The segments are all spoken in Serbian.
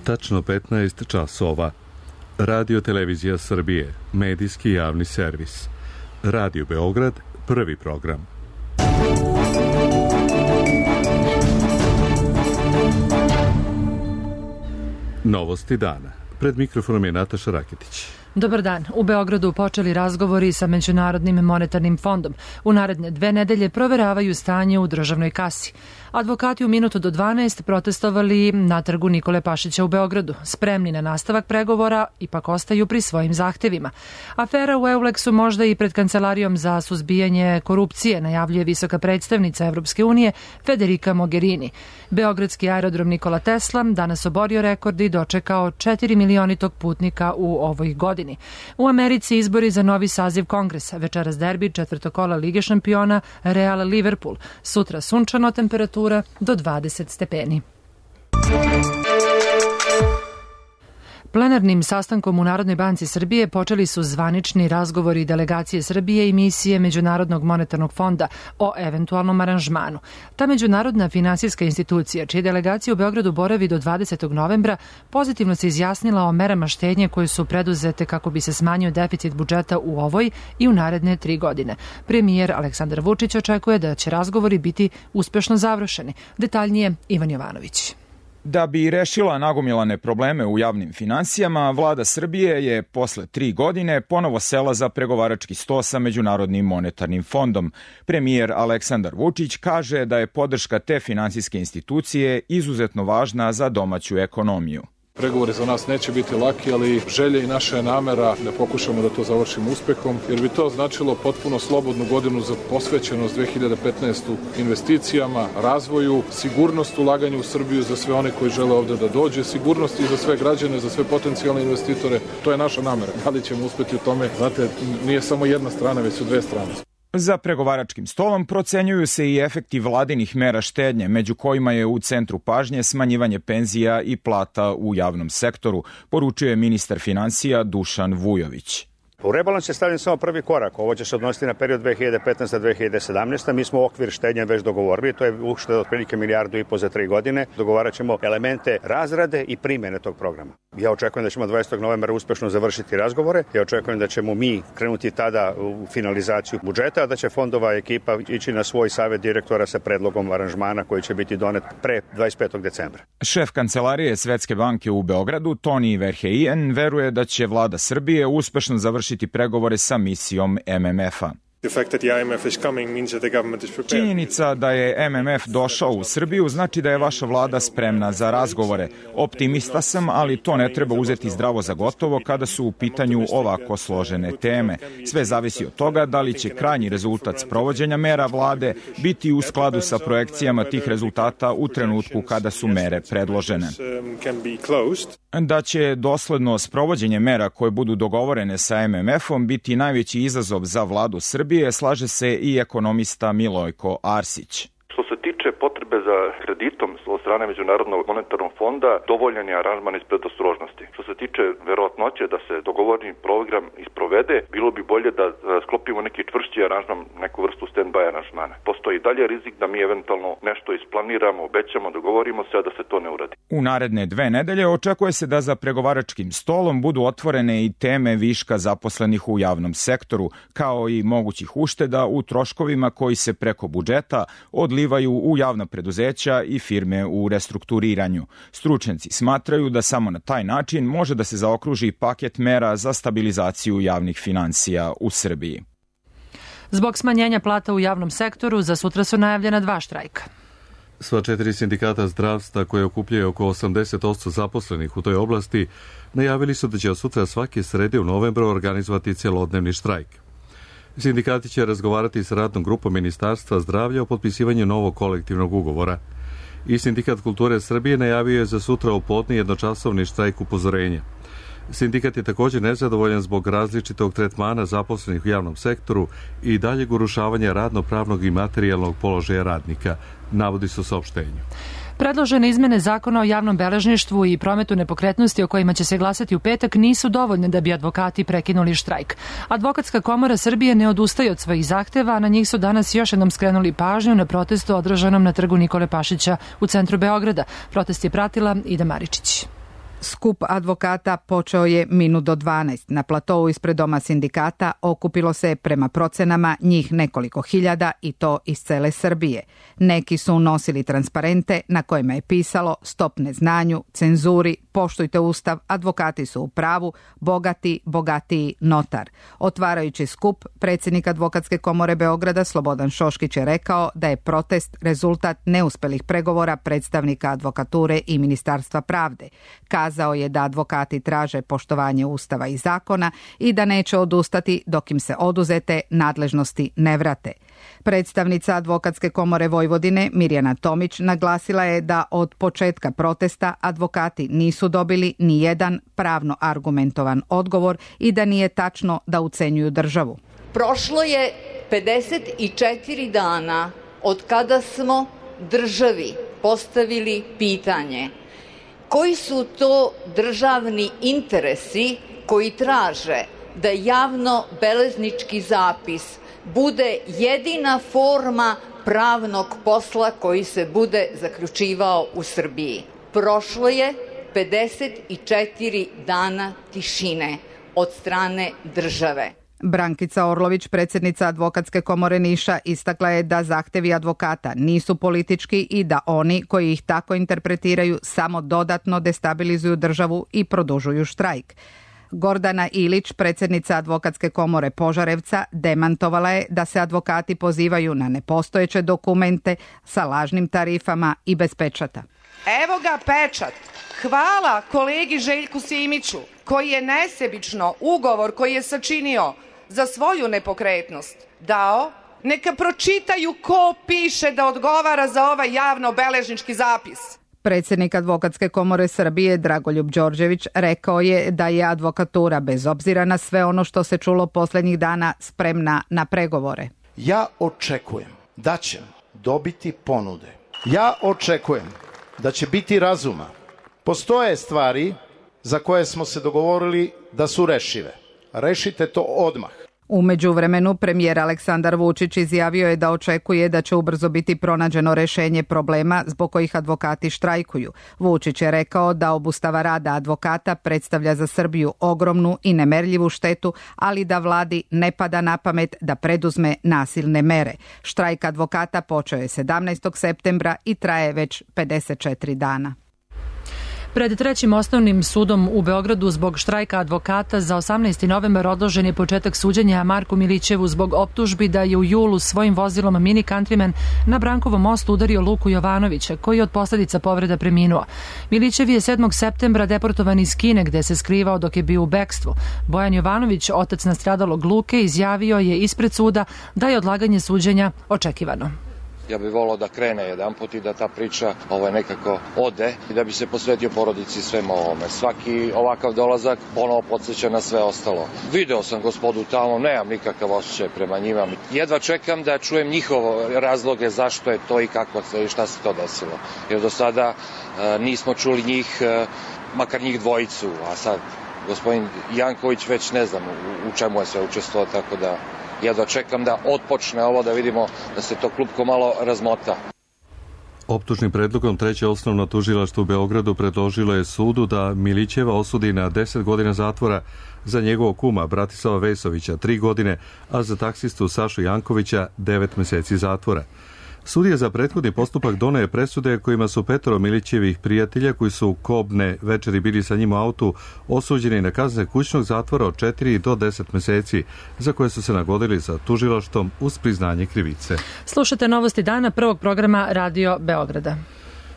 Tačno 15 časova. Radio Televizija Srbije, medijski javni servis. Radio Beograd, prvi program. Novosti dana. Pred mikrofonom je Nataša Raketić. Dobar dan. U Beogradu počeli razgovori sa Međunarodnim monetarnim fondom. U naredne 2 nedelje proveravaju stanje u državnoj kasi. Advokati u minutu do 12 protestovali na trgu Nikole Pašića u Beogradu. Spremni na nastavak pregovora, ipak ostaju pri svojim zahtevima. Afera u Euleksu možda i pred Kancelarijom za suzbijanje korupcije, najavljuje visoka predstavnica Evropske unije Federica Mogherini. Beogradski aerodrom Nikola Tesla danas oborio rekord i dočekao 4 milionitog putnika u ovoj godini. U Americi izbori za novi saziv Kongresa, večeras derbi četvrtog kola Lige šampiona Real Liverpool. Sutra sunčano, temperatura do 20 stepeni. Plenarnim sastankom u Narodnoj banci Srbije počeli su zvanični razgovori delegacije Srbije i misije Međunarodnog monetarnog fonda o eventualnom aranžmanu. Ta međunarodna finansijska institucija, čije delegacije u Beogradu boravi do 20. novembra, pozitivno se izjasnila o merama štednje koje su preduzete kako bi se smanjio deficit budžeta u ovoj i u naredne 3 godine. Premijer Aleksandar Vučić očekuje da će razgovori biti uspešno završeni. Detaljnije Ivan Jovanović. Da bi rešila nagomilane probleme u javnim finansijama, vlada Srbije je posle 3 godine ponovo sela za pregovarački sto sa Međunarodnim monetarnim fondom. Premijer Aleksandar Vučić kaže da je podrška te finansijske institucije izuzetno važna za domaću ekonomiju. Pregovori za nas neće biti laki, ali želja i naša je namera da pokušamo da to završimo uspehom, jer bi to značilo potpuno slobodnu godinu za posvećenost 2015. investicijama, razvoju, sigurnost ulaganja u Srbiju za sve one koji žele ovde da dođe, sigurnost i za sve građane, za sve potencijalne investitore. To je naša namera. Da li ćemo uspeti u tome? Znate, nije samo jedna strana, već su 2 strane. Za pregovaračkim stolom procenjuju se i efekti vladinih mera štednje, među kojima je u centru pažnje smanjivanje penzija i plata u javnom sektoru, poručuje ministar finansija Dušan Vujović. U rebalans je stavljen samo prvi korak. Ovo će se odnositi na period 2015-2017. Mi smo okvir štednje već dogovorili. To je ušteda otprilike 1,5 milijardu za 3 godine. Dogovarat ćemo elemente razrade i primjene tog programa. Ja očekujem da ćemo 20. novembra uspešno završiti razgovore. Ja očekujem da ćemo mi krenuti tada u finalizaciju budžeta, a da će fondova ekipa ići na svoj savet direktora sa predlogom aranžmana koji će biti donet pre 25. decembra. Šef kancelarije Svetske banke u Beogradu, Toni Verheyen, veruje da će vlada Srbije uspešno završiti pregovore sa misijom MMF-a. Činjenica da je MMF došao u Srbiju znači da je vaša vlada spremna za razgovore. Optimista sam, ali to ne treba uzeti zdravo za gotovo kada su u pitanju ovako složene teme. Sve zavisi od toga da li će krajnji rezultat sprovođenja mera vlade biti u skladu sa projekcijama tih rezultata u trenutku kada su mere predložene. Da će dosledno sprovođenje mera koje budu dogovorene sa MMF-om biti najveći izazov za vladu Srbije, slaže se i ekonomista Milojko Arsić. Što se tiče potrebe za kreditom od strane Međunarodnog monetarnog fonda, dovoljan je aranžman iz predostrožnosti. Što se tiče verovatnoće da se dogovorni program isprovede, bilo bi bolje da sklopimo neki čvršći aranžman, neku vrstu stand-by aranžmana. Postoji dalje rizik da mi eventualno nešto isplaniramo, obećamo, dogovorimo se, a da se to ne uradi. U naredne 2 nedelje očekuje se da za pregovaračkim stolom budu otvorene i teme viška zaposlenih u javnom sektoru, kao i mogućih ušteda u troškovima koji se preko budžeta odlivaju u javna preduzeća i firme u restrukturiranju. Stručnjaci smatraju da samo na taj način može da se zaokruži paket mera za stabilizaciju javnih finansija u Srbiji. Zbog smanjenja plata u javnom sektoru, za sutra su najavljena 2 štrajka. Sva 4 sindikata zdravstva koje okupljaju oko 80% zaposlenih u toj oblasti najavili su da će od sutra svake srede u novembru organizovati celodnevni štrajk. Sindikati će razgovarati s radnom grupom Ministarstva zdravlja o potpisivanju novog kolektivnog ugovora. I Sindikat kulture Srbije najavio je za sutra u podne jednočasovni štrajk upozorenja. Sindikat je također nezadovoljan zbog različitog tretmana zaposlenih u javnom sektoru i daljeg urušavanja radno-pravnog i materijalnog položaja radnika, navodi se u saopštenju. Predložene izmene zakona o javnom beležništvu i prometu nepokretnosti o kojima će se glasati u petak nisu dovoljne da bi advokati prekinuli štrajk. Advokatska komora Srbije ne odustaje od svojih zahteva, a na njih su danas još jednom skrenuli pažnju na protestu održanom na trgu Nikole Pašića u centru Beograda. Protest je pratila Ida Maričić. Skup advokata počeo je minut do 12. Na platou ispred doma sindikata okupilo se prema procenama njih nekoliko hiljada i to iz cele Srbije. Neki su nosili transparente na kojima je pisalo stop neznanju, cenzuri, poštujte ustav, advokati su u pravu, bogati, bogatiji, notar. Otvarajući skup, predsjednik Advokatske komore Beograda Slobodan Šoškić je rekao da je protest rezultat neuspelih pregovora predstavnika advokature i Ministarstva pravde. Kazao je da advokati traže poštovanje ustava i zakona i da neće odustati dok im se oduzete nadležnosti ne vrate. Predstavnica Advokatske komore Vojvodine Mirjana Tomić naglasila je da od početka protesta advokati nisu dobili ni jedan pravno argumentovan odgovor i da nije tačno da ucenjuju državu. Prošlo je 54 dana od kada smo državi postavili pitanje koji su to državni interesi koji traže da javno-beleznički zapis bude jedina forma pravnog posla koji se bude zaključivao u Srbiji. Prošlo je 54 dana tišine od strane države. Brankica Orlović, predsjednica Advokatske komore Niša, istakla je da zahtevi advokata nisu politički i da oni koji ih tako interpretiraju samo dodatno destabilizuju državu i produžuju štrajk. Gordana Ilić, predsjednica Advokatske komore Požarevca, demantovala je da se advokati pozivaju na nepostojeće dokumente sa lažnim tarifama i bez pečata. Evo ga pečat. Hvala kolegi Željku Simiću koji je nesebično ugovor koji je sačinio za svoju nepokretnost dao. Neka pročitaju ko piše da odgovara za ovaj javno-beležnički zapis. Predsjednik Advokatske komore Srbije Dragoljub Đorđević rekao je da je advokatura bez obzira na sve ono što se čulo posljednjih dana spremna na pregovore. Ja očekujem da ćemo dobiti ponude. Ja očekujem da će biti razuma. Postoje stvari za koje smo se dogovorili da su rešive. Rešite to odmah. U međuvremenu premijer Aleksandar Vučić izjavio je da očekuje da će ubrzo biti pronađeno rešenje problema zbog kojih advokati štrajkuju. Vučić je rekao da obustava rada advokata predstavlja za Srbiju ogromnu i nemerljivu štetu, ali da vladi ne pada na pamet da preduzme nasilne mere. Štrajk advokata počeo je 17. septembra i traje već 54 dana. Pred Trećim osnovnim sudom u Beogradu zbog štrajka advokata za 18. novembar odložen je početak suđenja Marku Milićevu zbog optužbi da je u julu svojim vozilom Mini Countryman na Brankovom mostu udario Luku Jovanovića, koji je od posljedica povreda preminuo. Milićev je 7. septembra deportovan iz Kine, gde se skrivao dok je bio u bekstvu. Bojan Jovanović, otac nastradalog Luke, izjavio je ispred suda da je odlaganje suđenja očekivano. Ja bih volao da krene jedanput i da ta priča nekako ode i da bi se posvetio porodici svema ovome. Svaki ovakav dolazak ponovo podsjeća na sve ostalo. Video sam gospodu tamo, nemam nikakav osjećaj prema njima. Jedva čekam da čujem njihove razloge zašto je to i kako se i šta se to desilo. Jer do sada nismo čuli njih, makar njih dvojicu, a sad gospodin Janković već ne znam u čemu je sve učestvovao, tako da jedva čekam da otpočne ovo, da vidimo da se to klupko malo razmota. Optužnim predlogom Treće osnovno tužilaštvo u Beogradu predložilo je sudu da Milićeva osudi na 10 godina zatvora, za njegovog kuma Bratislava Vesovića 3 godine, a za taksistu Sašu Jankovića 9 meseci zatvora. Sudija za prethodni postupak doneo je presude kojima su 5 Milićevih prijatelja koji su kobne večeri bili sa njim u autu osuđeni na kazne kućnog zatvora od 4 do 10 meseci, za koje su se nagodili sa tužilaštvom uz priznanje krivice. Slušate novosti dana prvog programa Radio Beograda.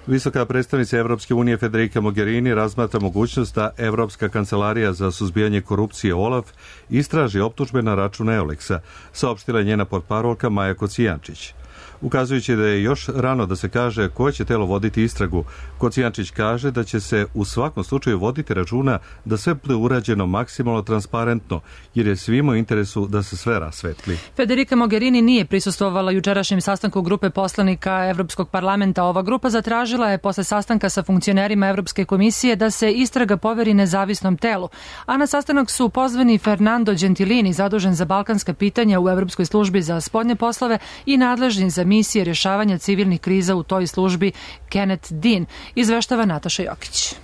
Visoka predstavnica Evropske unije Federica Mogherini razmatra mogućnost da Evropska kancelarija za suzbijanje korupcije OLAF istraži optužbe na račun Euleksa, saopštila je njena portparolka Maja Kocijančić. Ukazujući da je još rano da se kaže koje će telo voditi istragu, Kocijančić kaže da će se u svakom slučaju voditi računa da sve bude urađeno maksimalno transparentno, jer je svima u interesu da se sve rasvetli. Federica Mogherini nije prisustvovala jučerašnjem sastanku grupe poslanika Evropskog parlamenta. Ova grupa zatražila je posle sastanka sa funkcionerima Evropske komisije da se istraga poveri nezavisnom telu, a na sastanak su pozvani Fernando Gentilini, zadužen za balkanska pitanja u Evropskoj službi za spoljne poslove i nadležni za misije rješavanja civilnih kriza u toj službi Kenneth Dean, izveštava Nataša Jokić.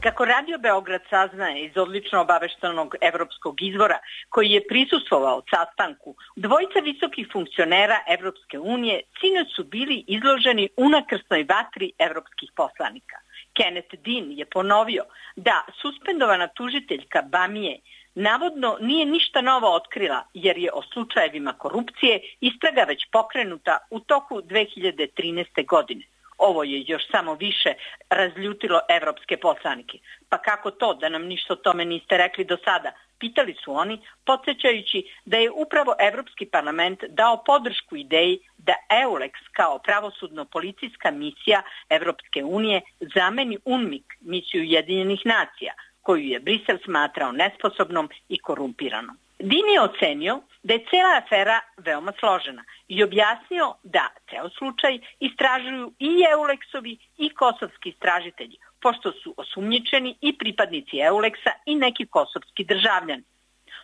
Kako Radio Beograd saznaje iz odlično obaveštenog evropskog izvora koji je prisustvovao sastanku, dvojica visokih funkcionera Evropske unije sinoć su bili izloženi unakrsnoj vatri evropskih poslanika. Kenneth Dean je ponovio da suspendovana tužiteljka Bamije navodno nije ništa novo otkrila jer je o slučajevima korupcije istraga već pokrenuta u toku 2013. godine. Ovo je još samo više razljutilo evropske poslanike. Pa kako to da nam ništa o tome niste rekli do sada? Pitali su oni, podsjećajući da je upravo Evropski parlament dao podršku ideji da EULEX kao pravosudno-policijska misija Evropske unije zameni UNMIK, misiju Ujedinjenih nacija, koju je Brisel smatrao nesposobnom i korumpiranom. Din je ocenio da je cela afera veoma složena i objasnio da ceo slučaj istražuju i EULEX-ovi i kosovski istražitelji, pošto su osumnjičeni i pripadnici EULEX-a i neki kosovski državljani.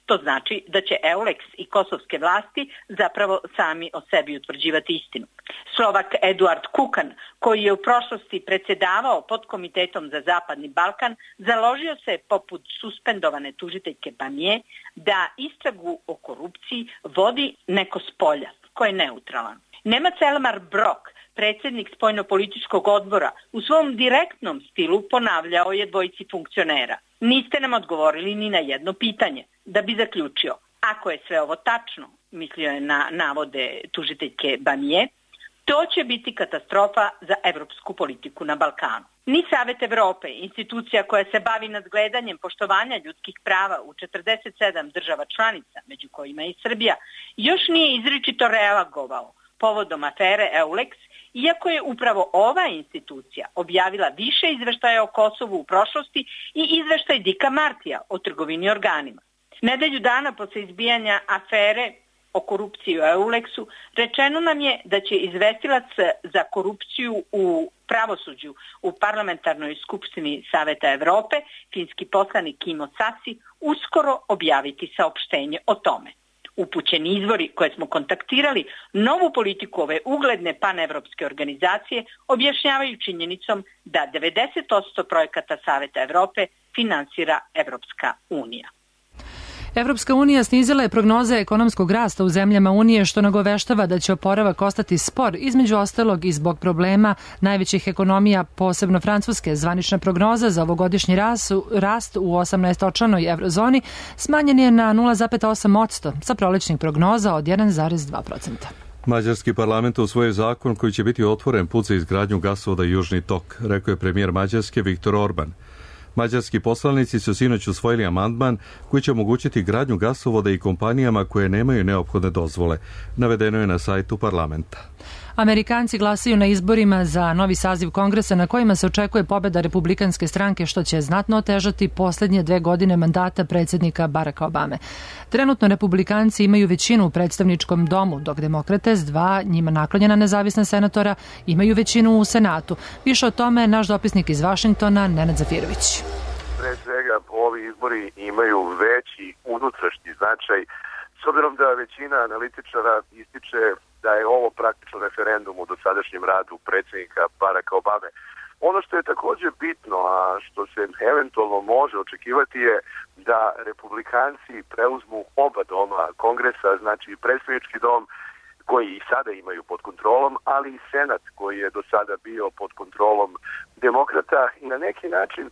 To znači da će EULEX i kosovske vlasti zapravo sami o sebi utvrđivati istinu. Slovak Eduard Kukan, koji je u prošlosti predsjedavao podkomitetom za Zapadni Balkan, založio se poput suspendovane tužiteljke Bamije da istragu o korupciji vodi neko s polja, ko je neutralan. Nemac Elmar Brok, predsjednik spoljnopolitičkog odbora, u svom direktnom stilu ponavljao je dvojici funkcionera. Niste nam odgovorili ni na jedno pitanje. Da bi zaključio, ako je sve ovo tačno, mislio je na navode tužiteljke Bamije, to će biti katastrofa za evropsku politiku na Balkanu. Ni Savet Evrope, institucija koja se bavi nadgledanjem poštovanja ljudskih prava u 47 država članica, među kojima i Srbija, još nije izričito reagovao povodom afere EULEX, iako je upravo ova institucija objavila više izveštaja o Kosovu u prošlosti i izveštaj Dika Martija o trgovini organima. Nedelju dana posle izbijanja afere o korupciji u EULEX-u rečeno nam je da će izvestilac za korupciju u pravosuđu u parlamentarnoj skupštini Saveta Evrope, finski poslanik Kimmo Sasi, uskoro objaviti saopštenje o tome. Upućeni izvori koje smo kontaktirali novu politiku ove ugledne panevropske organizacije objašnjavaju činjenicom da 90% projekata Saveta Evrope finansira Evropska unija. Evropska unija snizila je prognoze ekonomskog rasta u zemljama Unije, što nagoveštava da će oporavak ostati spor, između ostalog i zbog problema najvećih ekonomija, posebno Francuske. Zvanična prognoza za ovogodišnji rast u 18-članoj eurozoni smanjen je na 0,8% sa prolećnih prognoza od 1,2%. Mađarski parlament usvojio zakon koji će biti otvoren put za izgradnju gasovoda Južni tok, rekao je premijer Mađarske Viktor Orban. Mađarski poslanici su sinoć usvojili amandman koji će omogućiti gradnju gasovoda i kompanijama koje nemaju neophodne dozvole. Navedeno je na sajtu parlamenta. Amerikanci glasaju na izborima za novi saziv kongresa na kojima se očekuje pobeda republikanske stranke, što će znatno otežati posljednje 2 godine mandata predsjednika Baracka Obame. Trenutno republikanci imaju većinu u predstavničkom domu, dok demokrate s 2 njima naklonjena nezavisna senatora imaju većinu u Senatu. Više o tome naš dopisnik iz Vašingtona, Nenad Zafirović. Pre svega, ovi izbori imaju veći unutrašnji značaj, s obzirom da većina analitičara ističe da je ovo praktično referendum u dosadašnjem radu predsjednika Baracka Obame. Ono što je također bitno, a što se eventualno može očekivati je da republikanci preuzmu oba doma kongresa, znači predstavnički dom koji i sada imaju pod kontrolom, ali i senat koji je do sada bio pod kontrolom demokrata i na neki način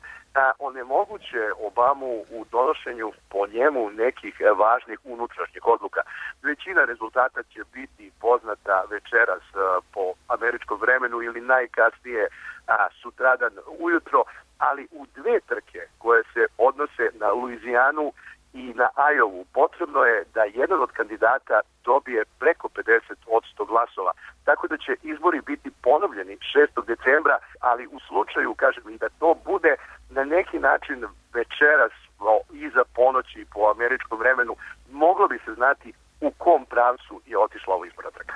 onemoguće Obamu u donošenju po njemu nekih važnih unutrašnjih odluka. Većina rezultata će biti poznata večeras po američkom vremenu ili najkasnije sutradan ujutro, ali u 2 trke koje se odnose na Luizijanu i na Ajovu potrebno je da jedan od kandidata dobije preko 50% glasova. Tako da će izbori biti ponovljeni 6. decembra, ali u slučaju, kažem, i da to bude na neki način večeras iza ponoći po američkom vremenu, moglo bi se znati u kom pravcu je otišla ova izborna trka.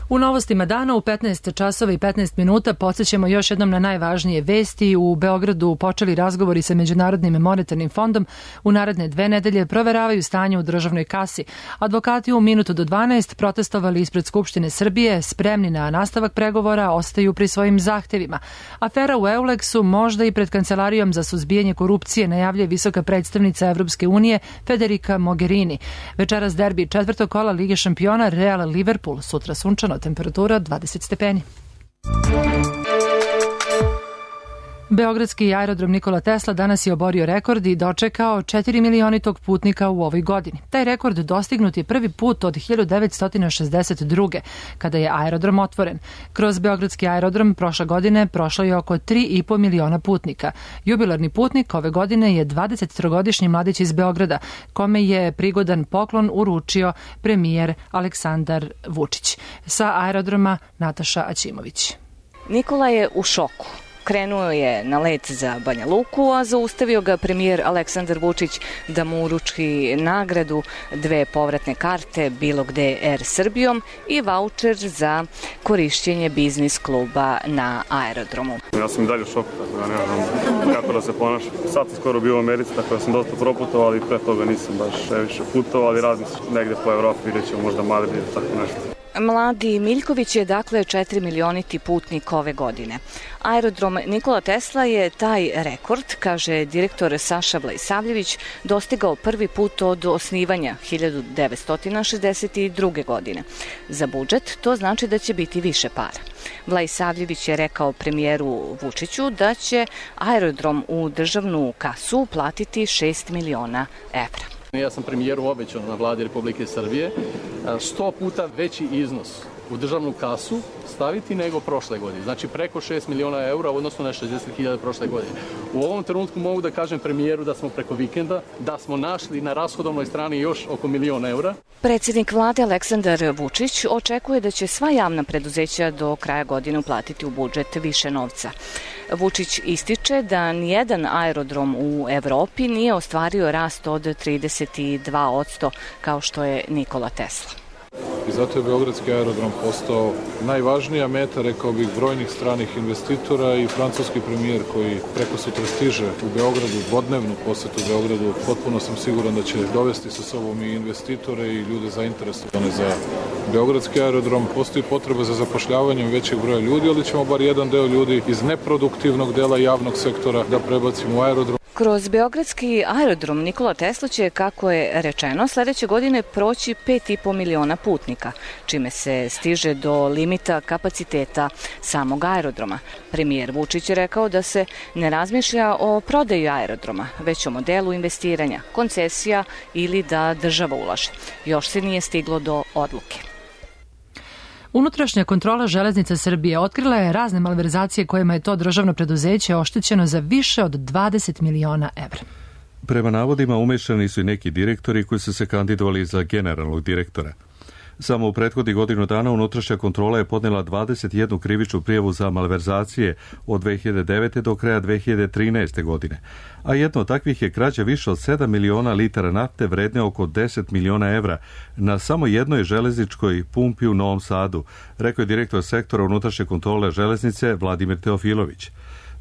U novostima dana u 15 časova i 15 minuta podsjećamo još jednom na najvažnije vesti. U Beogradu počeli razgovori sa Međunarodnim monetarnim fondom. U naredne 2 nedelje proveravaju stanje u državnoj kasi. Advokati u minutu do 12 protestovali ispred Skupštine Srbije, spremni na nastavak pregovora, ostaju pri svojim zahtevima. Afera u Eulexu možda i pred Kancelarijom za suzbijanje korupcije, najavljuje visoka predstavnica Evropske unije Federica Mogherini. Večeras derbi 4. kola Lige šampiona Real Liverpool, sutra sunčano, temperatura 20 stepeni. Beogradski aerodrom Nikola Tesla danas je oborio rekord i dočekao 4 milionitog putnika u ovoj godini. Taj rekord dostignut je prvi put od 1962. kada je aerodrom otvoren. Kroz Beogradski aerodrom prošle godine prošlo je oko 3,5 miliona putnika. Jubilarni putnik ove godine je 23-godišnji mladić iz Beograda, kome je prigodan poklon uručio premijer Aleksandar Vučić. Sa aerodroma Nataša Aćimović. Nikola je u šoku. Krenuo je na let za Banja Luku, a zaustavio ga premijer Aleksandar Vučić da mu uruči nagradu, 2 povratne karte bilo gde Air Srbijom i vaučer za korišćenje biznis kluba na aerodromu. Ja sam i dalje u šoku, tako da ne znam kako da se ponašam. Sad sam skoro bio u Americi, tako da sam dosta proputovao, ali pre toga nisam baš više putovao, ali radim se negde po Evropi, vidjet ćemo možda Madrid ili tako nešto. Mladi Miljković je dakle 4 milioniti putnik ove godine. Aerodrom Nikola Tesla je taj rekord, kaže direktor Saša Vlajsavljević, dostigao prvi put od osnivanja 1962. godine. Za budžet to znači da će biti više para. Vlajsavljević je rekao premijeru Vučiću da će aerodrom u državnu kasu platiti 6 miliona evra. Ja sam premijeru obećao na vladi Republike Srbije 100 puta veći iznos u državnu kasu staviti nego prošle godine. Znači preko 6 miliona eura odnosno na 60.000 prošle godine. U ovom trenutku mogu da kažem premijeru da smo preko vikenda, da smo našli na rashodovnoj strani još oko 1 milion eura. Predsjednik vlade Aleksandar Vučić očekuje da će sva javna preduzeća do kraja godine uplatiti u budžet više novca. Vučić ističe da nijedan aerodrom u Evropi nije ostvario rast od 32% kao što je Nikola Tesla. I zato je Beogradski aerodrom postao najvažnija meta, rekao bih, brojnih stranih investitora i francuski premijer koji preko sutra stiže u Beogradu, dvodnevnu posetu u Beogradu. Potpuno sam siguran da će dovesti sa sobom i investitore i ljude zainteresovane za Beogradski aerodrom. Postoji potreba za zapošljavanjem većeg broja ljudi, ali ćemo bar jedan deo ljudi iz neproduktivnog dela javnog sektora da prebacimo u aerodrom. Kroz Beogradski aerodrom Nikola Tesla će, kako je rečeno, sledeće godine proći 5,5 miliona putnika, čime se stiže do limita kapaciteta samog aerodroma. Premijer Vučić je rekao da se ne razmišlja o prodaji aerodroma, već o modelu investiranja, koncesija ili da država ulaže. Još se nije stiglo do odluke. Unutrašnja kontrola Železnica Srbije otkrila je razne malverzacije kojima je to državno preduzeće oštećeno za više od 20 miliona evra. Prema navodima umešani su i neki direktori koji su se kandidovali za generalnog direktora. Samo u prethodnih godinu dana unutrašnja kontrola je podnela 21 krivičnu prijavu za malverzacije od 2009. do kraja 2013. godine, a jedno od takvih je krađa više od 7 miliona litara nafte vredne oko 10 miliona evra na samo jednoj železničkoj pumpi u Novom Sadu, rekao je direktor sektora unutrašnje kontrole železnice Vladimir Teofilović.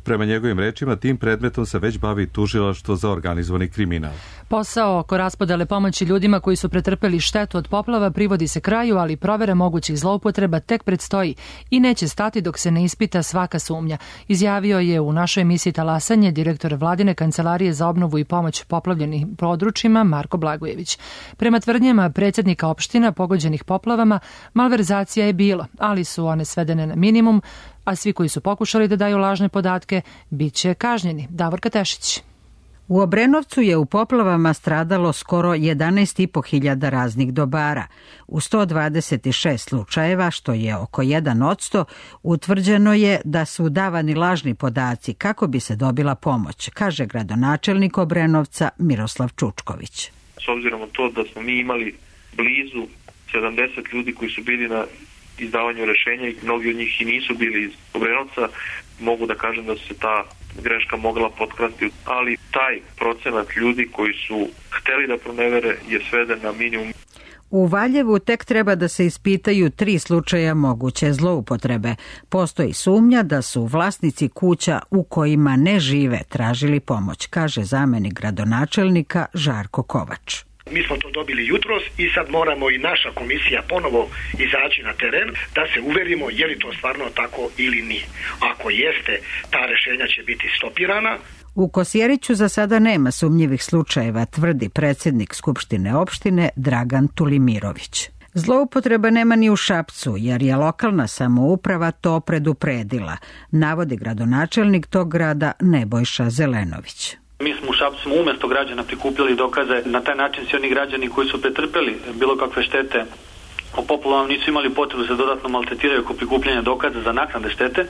Prema njegovim rečima, tim predmetom se već bavi tužilaštvo za organizovani kriminal. Posao oko raspodele pomoći ljudima koji su pretrpeli štetu od poplava privodi se kraju, ali provera mogućih zloupotreba tek predstoji i neće stati dok se ne ispita svaka sumnja, izjavio je u našoj emisiji Talasanje direktor Vladine kancelarije za obnovu i pomoć poplavljenim područjima Marko Blagojević. Prema tvrdnjama predsjednika opština pogođenih poplavama, malverzacija je bilo, ali su one svedene na minimum, a svi koji su pokušali da daju lažne podatke bit će kažnjeni. Davorka Tešić. U Obrenovcu je u poplavama stradalo skoro 11.500 raznih dobara. U 126 slučajeva, što je oko 1%, utvrđeno je da su davani lažni podaci kako bi se dobila pomoć, kaže gradonačelnik Obrenovca Miroslav Čučković. S obzirom na to da smo mi imali blizu 70 ljudi koji su bili na izdavanju rešenja i mnogi od njih i nisu bili iz Obrenovca, mogu da kažem da su se ta greška mogla potkrasti, ali taj procenat ljudi koji su hteli da pronevere je sveden na minimum. U Valjevu tek treba da se ispitaju 3 slučaja moguće zloupotrebe. Postoji sumnja da su vlasnici kuća u kojima ne žive tražili pomoć, kaže zamenik gradonačelnika Žarko Kovač. Mi smo to dobili jutros i sad moramo i naša komisija ponovo izaći na teren da se uverimo je li to stvarno tako ili nije. Ako jeste, ta rešenja će biti stopirana. U Kosjeriću za sada nema sumnjivih slučajeva, tvrdi predsjednik Skupštine opštine Dragan Tulimirović. Zloupotreba nema ni u Šapcu, jer je lokalna samouprava to predupredila, navodi gradonačelnik tog grada Nebojša Zelenović. Mi smo u Šapcu umjesto građana prikupljali dokaze, na taj način svi oni građani koji su pretrpeli bilo kakve štete o poplavama nisu imali potrebu da se dodatno maltretiraju oko prikupljanja dokaza za naknade štete.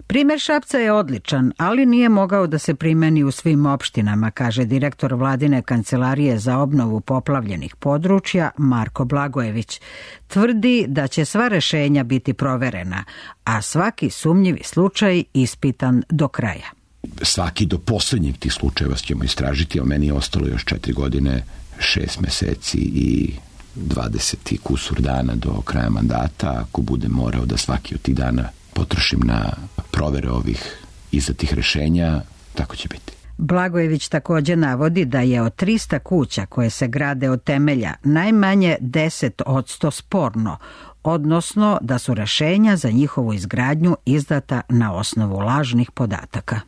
Primer Šapca je odličan, ali nije mogao da se primeni u svim opštinama, kaže direktor Vladine kancelarije za obnovu poplavljenih područja Marko Blagojević. Tvrdi da će sva rešenja biti proverena, a svaki sumnjivi slučaj ispitan do kraja. Svaki do poslednjeg tih slučajeva ćemo istražiti, a meni je ostalo još 4 godine, 6 meseci i 20 kusur dana do kraja mandata. Ako budem morao da svaki od tih dana potrošim na provere ovih izdatih rešenja, tako će biti. Blagojević također navodi da je od 300 kuća koje se grade od temelja najmanje 10% sporno, odnosno da su rešenja za njihovu izgradnju izdata na osnovu lažnih podataka.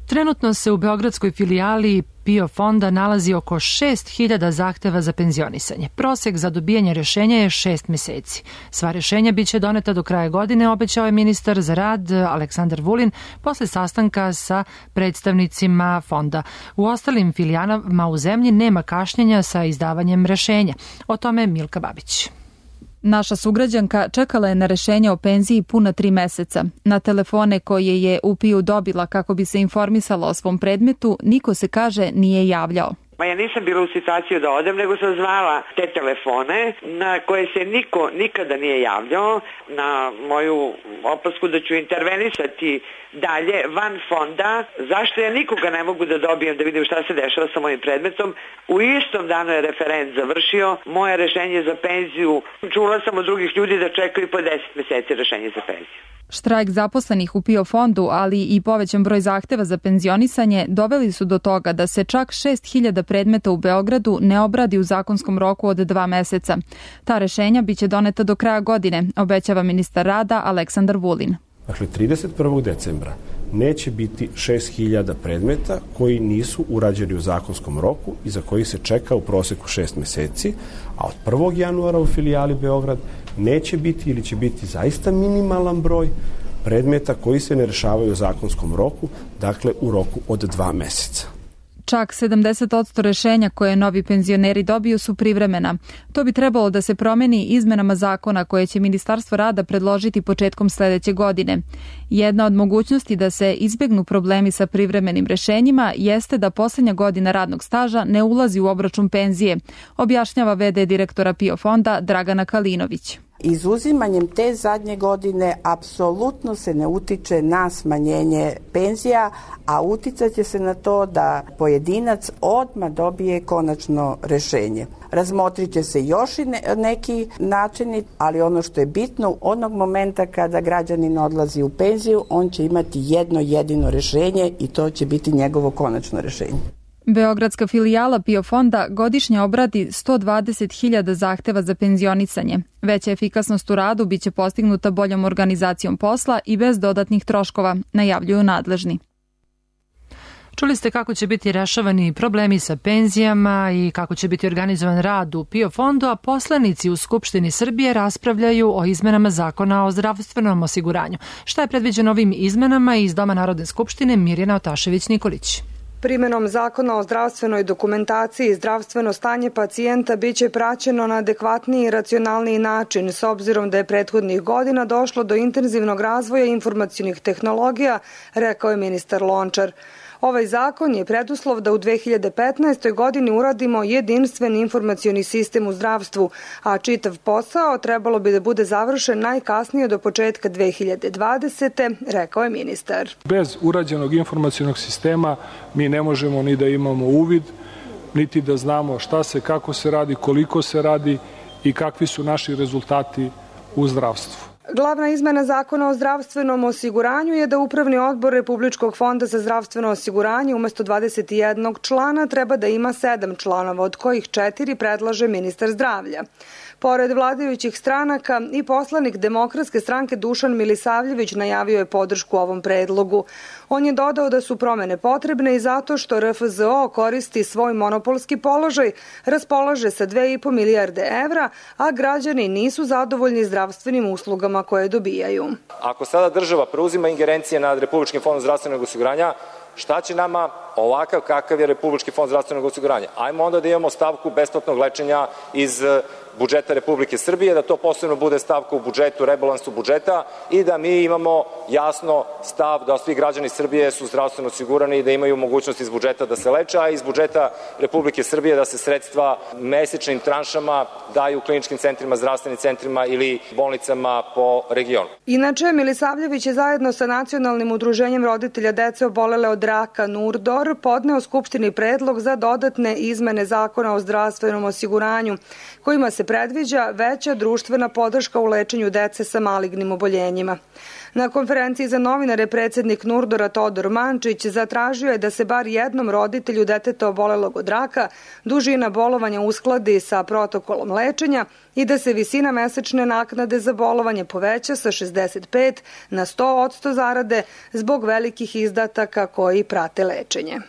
Trenutno se u beogradskoj filijali PIO fonda nalazi oko 6.000 zahteva za penzionisanje. Prosek za dobijanje rešenja je 6 meseci. Sva rešenja biće doneta do kraja godine, obećao je ministar za rad Aleksandar Vulin posle sastanka sa predstavnicima fonda. U ostalim filijalama u zemlji nema kašnjenja sa izdavanjem rešenja. O tome Milka Babić. Naša sugrađanka čekala je na rešenje o penziji puna 3 meseca. Na telefone koje je u PIO dobila kako bi se informisala o svom predmetu, niko se, kaže, nije javljao. Ja nisam bila u situaciju da odem, nego sam zvala te telefone na koje se niko nikada nije javljao. Na moju opasku da ću intervenisati dalje van fonda, zašto ja nikoga ne mogu da dobijem da vidim šta se dešava sa mojim predmetom. U istom danu je referent završio moje rešenje za penziju. Čula sam od drugih ljudi da čekaju po 10 meseci rešenje za penziju. Štrajk zaposlenih u PIO fondu, ali i povećan broj zahteva za penzionisanje doveli su do toga da se čak 6.000 predmeta u Beogradu ne obradi u zakonskom roku od 2 meseca. Ta rešenja biće doneta do kraja godine, obećava ministar rada Aleksandar Vulin. Dakle, 31. decembra neće biti 6.000 predmeta koji nisu urađeni u zakonskom roku i za koji se čeka u proseku 6 meseci, a od 1. januara u filijali Beograd neće biti ili će biti zaista minimalan broj predmeta koji se ne rešavaju u zakonskom roku, dakle u roku od 2 meseca. Čak 70% rešenja koje novi penzioneri dobiju su privremena. To bi trebalo da se promeni izmenama zakona koje će Ministarstvo rada predložiti početkom sledeće godine. Jedna od mogućnosti da se izbegnu problemi sa privremenim rešenjima jeste da poslednja godina radnog staža ne ulazi u obračun penzije, objašnjava v.d. direktora PIO fonda Dragana Kalinović. Izuzimanjem te zadnje godine apsolutno se ne utiče na smanjenje penzija, a uticat će se na to da pojedinac odmah dobije konačno rešenje. Razmotrit će se još i neki načini, ali ono što je bitno, onog momenta kada građanin odlazi u penziju, on će imati jedno jedino rešenje i to će biti njegovo konačno rešenje. Beogradska filijala PIO fonda godišnje obradi 120.000 zahteva za penzionisanje. Veća efikasnost u radu biće postignuta boljom organizacijom posla i bez dodatnih troškova, najavljuju nadležni. Čuli ste kako će biti rešavani problemi sa penzijama i kako će biti organizovan rad u PIO fondu, a poslanici u Skupštini Srbije raspravljaju o izmenama zakona o zdravstvenom osiguranju. Šta je predviđeno ovim izmenama? Iz Doma Narodne skupštine Mirjana Otašević-Nikolić. Primenom zakona o zdravstvenoj dokumentaciji zdravstveno stanje pacijenta biće praćeno na adekvatniji i racionalniji način, s obzirom da je prethodnih godina došlo do intenzivnog razvoja informacionih tehnologija, rekao je ministar Lončar. Ovaj zakon je preduslov da u 2015. godini uradimo jedinstveni informacioni sistem u zdravstvu, a čitav posao trebalo bi da bude završen najkasnije do početka 2020. rekao je ministar. Bez urađenog informacionog sistema mi ne možemo ni da imamo uvid, niti da znamo šta se, kako se radi, koliko se radi i kakvi su naši rezultati u zdravstvu. Glavna izmena Zakona o zdravstvenom osiguranju je da Upravni odbor Republičkog fonda za zdravstveno osiguranje umesto 21 člana treba da ima 7 članova, od kojih 4 predlaže ministar zdravlja. Pored vladajućih stranaka i poslanik Demokratske stranke Dušan Milisavljević najavio je podršku ovom predlogu. On je dodao da su promene potrebne i zato što RFZO koristi svoj monopolski položaj, raspolaže sa 2,5 milijarde evra, a građani nisu zadovoljni zdravstvenim uslugama koje dobijaju. Ako sada država preuzima ingerencije nad Republičkim fondom zdravstvenog osiguranja, šta će nama ovakav kakav je Republički fond zdravstvenog osiguranja? Ajmo onda da imamo stavku besplatnog lečenja iz budžeta Republike Srbije, da to posebno bude stavka u budžetu, rebalansu budžeta i da mi imamo jasno stav da svi građani Srbije su zdravstveno osigurani i da imaju mogućnost iz budžeta da se leče, a iz budžeta Republike Srbije da se sredstva mesečnim tranšama daju kliničkim centrima, zdravstvenim centrima ili bolnicama po regionu. Inače, Milisavljević je zajedno sa Nacionalnim udruženjem roditelja dece obolele od raka NURDOR podneo Skupštini predlog za dodatne izmene Zakona o zdravstvenom osiguranju, kojima se predviđa veća društvena podrška u lečenju dece sa malignim oboljenjima. Na konferenciji za novinare predsednik NURDOR-a Todor Mančić zatražio je da se bar jednom roditelju deteta obolelog od raka dužina bolovanja uskladi sa protokolom lečenja i da se visina mesečne naknade za bolovanje poveća sa 65 na 100% zarade zbog velikih izdataka koji prate lečenje.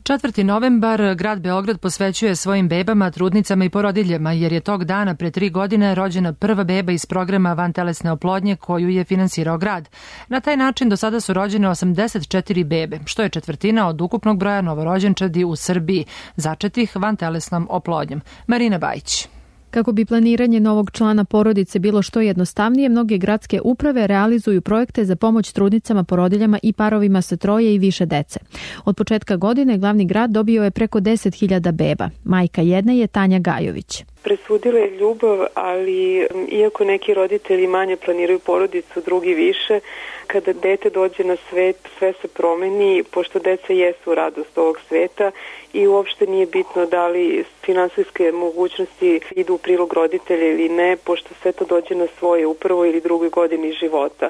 4. novembar grad Beograd posvećuje svojim bebama, trudnicama i porodiljama, jer je tog dana pre 3 godine rođena prva beba iz programa vantelesne oplodnje koju je finansirao grad. Na taj način do sada su rođene 84 bebe, što je četvrtina od ukupnog broja novorođenčadi u Srbiji, začetih vantelesnom oplodnjom. Marina Bajić. Kako bi planiranje novog člana porodice bilo što jednostavnije, mnoge gradske uprave realizuju projekte za pomoć trudnicama, porodiljama i parovima sa 3 i više dece. Od početka godine glavni grad dobio je preko 10.000 beba. Majka jedne je Tanja Gajović. Presudila je ljubav, ali iako neki roditelji manje planiraju porodicu, drugi više, kada dete dođe na svet, sve se promeni, pošto deca jesu radost ovog sveta i uopšte nije bitno da li finansijske mogućnosti idu u prilog roditelja ili ne, pošto sve to dođe na svoje u prvoj ili drugoj godini života.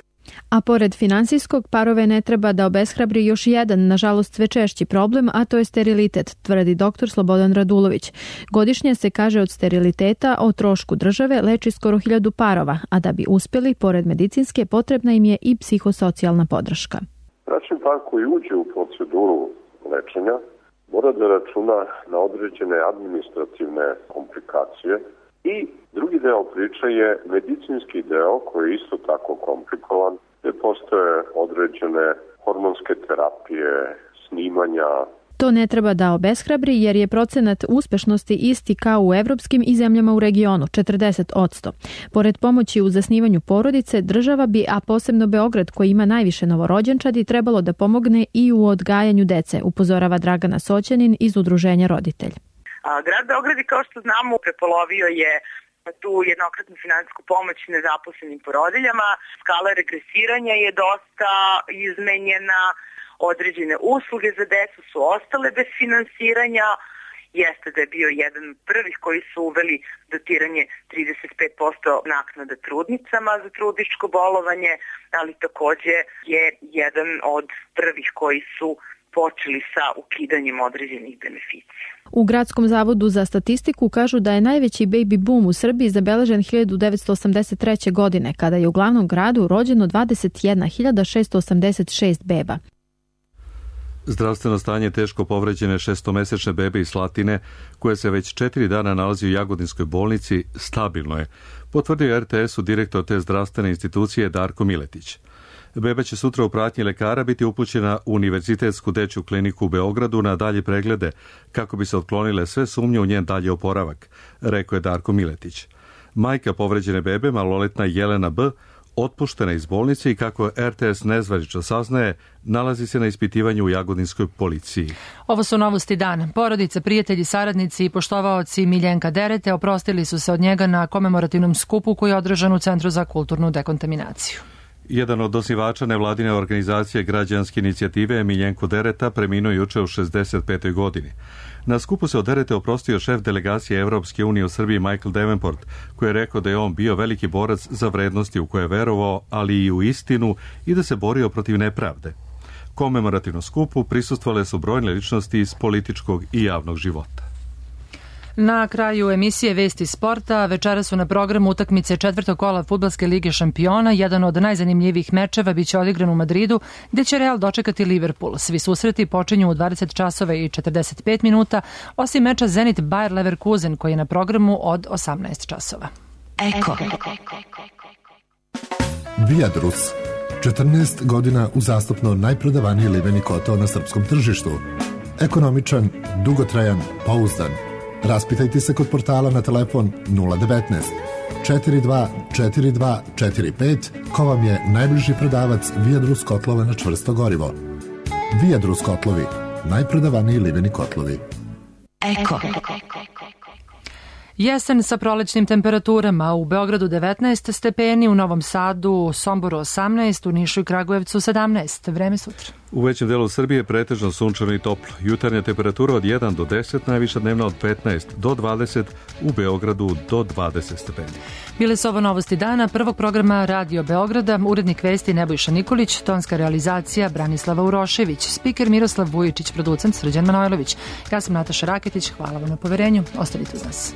A pored finansijskog, parove ne treba da obeshrabri još jedan, nažalost sve češći problem, a to je sterilitet, tvrdi dr. Slobodan Radulović. Godišnje se, kaže, od steriliteta o trošku države leči skoro 1000 parova, a da bi uspjeli, pored medicinske, potrebna im je i psihosocijalna podrška. Bračni par koji uđe u proceduru lečenja mora da računa na određene administrativne komplikacije. I drugi deo priče je medicinski deo koji je isto tako komplikovan, gde postoje određene hormonske terapije, snimanja. To ne treba da obeshrabri jer je procenat uspešnosti isti kao u evropskim i zemljama u regionu, 40%. Pored pomoći u zasnivanju porodice, država bi, a posebno Beograd koji ima najviše novorođenčadi, trebalo da pomogne i u odgajanju dece, upozorava Dragana Soćanin iz Udruženja Roditelj. Grad Beograd, kao što znamo, prepolovio je tu jednokratnu finansijsku pomoć nezaposlenim porodiljama. Skala regresiranja je dosta izmenjena, određene usluge za decu su ostale bez finansiranja. Jeste da je bio jedan od prvih koji su uveli dotiranje 35% naknada trudnicama za trudničko bolovanje, ali takođe je jedan od prvih koji su počeli sa ukidanjem određenih beneficija. U Gradskom zavodu za statistiku kažu da je najveći baby boom u Srbiji zabeležen 1983. godine, kada je u glavnom gradu rođeno 21.686 beba. Zdravstveno stanje teško povređene 6-mesečne bebe iz Slatine, koja se već 4 dana nalazi u Jagodinskoj bolnici, stabilno je, potvrdio RTS-u direktor te zdravstvene institucije Darko Miletić. Beba će sutra u pratnji lekara biti upućena u Univerzitetsku dečju kliniku u Beogradu na dalje preglede, kako bi se otklonile sve sumnje u njen dalje oporavak, rekao je Darko Miletić. Majka povređene bebe, maloletna Jelena B., otpuštena iz bolnice i kako RTS nezvanično saznaje, nalazi se na ispitivanju u Jagodinskoj policiji. Ovo su novosti dana. Porodica, prijatelji, saradnici i poštovaoci Miljenka Derete oprostili su se od njega na komemorativnom skupu koji je održan u Centru za kulturnu dekontaminaciju. Jedan od osnivača nevladine organizacije Građanske inicijative Miljenko Dereta preminuo juče u 65. godini. Na skupu se od Derete oprostio šef delegacije Evropske unije u Srbiji Michael Davenport, koji je rekao da je on bio veliki borac za vrednosti u koje je verovao, ali i u istinu i da se borio protiv nepravde. Komemorativnom skupu prisustvovale su brojne ličnosti iz političkog i javnog života. Na kraju emisije Vesti sporta večera su na programu utakmice četvrtog kola Fudbalske lige šampiona. Jedan od najzanimljivijih mečeva biće odigran u Madridu, gde će Real dočekati Liverpool. Svi susreti počinju u 20 časova i 45 minuta, osim meča Zenit Bayer Leverkusen koji je na programu od 18 časova. Eko. Viadrus. 14 godina uzastopno najprodavaniji liveni kotao na srpskom tržištu. Ekonomičan, dugotrajan, pouzdan. Raspitajte se kod portala na telefon 019 42 42 45 ko vam je najbliži prodavac Viadrus kotlova na čvrsto gorivo. Viadrus kotlovi, najprodavaniji liveni kotlovi. Eko. Jesen sa prolećnim temperaturama, u Beogradu 19 stepeni, u Novom Sadu, Somboru 18, u Nišu i Kragujevcu 17. Vreme sutra. U većem delu Srbije pretežno sunčano i toplo. Jutarnja temperatura od 1 do 10, najviša dnevna od 15 do 20, u Beogradu do 20 stepeni. Bile su ovo novosti dana prvog programa Radio Beograda, urednik vesti Nebojša Nikolić, tonska realizacija Branislava Urošević, spiker Miroslav Vujičić, producent Srđan Manojlović. Ja sam Nataša Raketić, hvala vam na poverenju, ostanite uz nas.